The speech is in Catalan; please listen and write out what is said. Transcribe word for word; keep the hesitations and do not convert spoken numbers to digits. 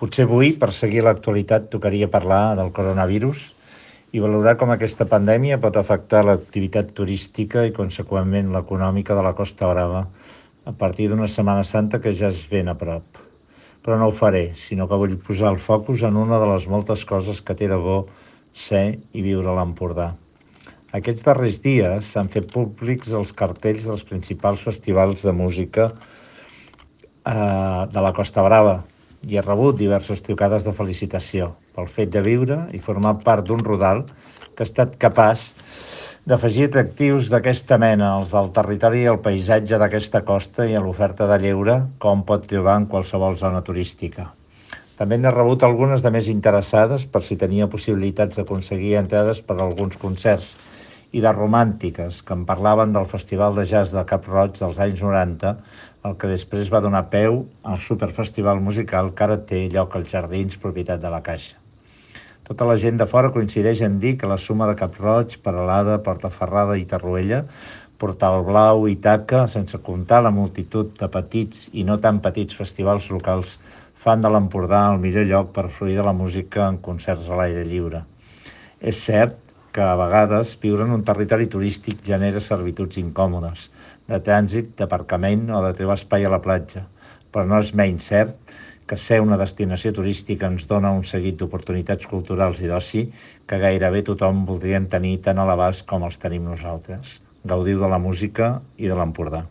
Potser avui, per seguir l'actualitat, tocaria parlar del coronavirus i valorar com aquesta pandèmia pot afectar l'activitat turística i, conseqüentment, l'econòmica de la Costa Brava a partir d'una Setmana Santa que ja és ben a prop. Però no ho faré, sinó que vull posar el focus en una de les moltes coses que té de bo ser i viure a l'Empordà. Aquests darrers dies s'han fet públics els cartells dels principals festivals de música eh, de la Costa Brava i he rebut diverses trucades de felicitació pel fet de viure i formar part d'un rodal que ha estat capaç d'afegir atractius d'aquesta mena, els del territori i el paisatge d'aquesta costa i a l'oferta de lleure com pot trobar en qualsevol zona turística. També n'he rebut algunes de més interessades per si tenia possibilitats d'aconseguir entrades per a alguns concerts i de romàntiques que em parlaven del Festival de Jazz de Cap-roig dels anys noranta, el que després va donar peu al superfestival musical que ara té lloc als Jardins, propietat de la Caixa. Tota la gent de fora coincideix en dir que la suma de Cap-roig, Peralada, Portaferrada i Torroella, Portal Blau i Taca, sense comptar la multitud de petits i no tan petits festivals locals, fan de l'Empordà el millor lloc per fruir de la música en concerts a l'aire lliure. És cert que a vegades viure en un territori turístic genera servituds incòmodes, de trànsit, d'aparcament o de trobar espai a la platja, però no és menys cert que ser una destinació turística ens dona un seguit d'oportunitats culturals i d'oci que gairebé tothom voldríem tenir tan a l'abast com els tenim nosaltres. Gaudiu de la música i de l'Empordà.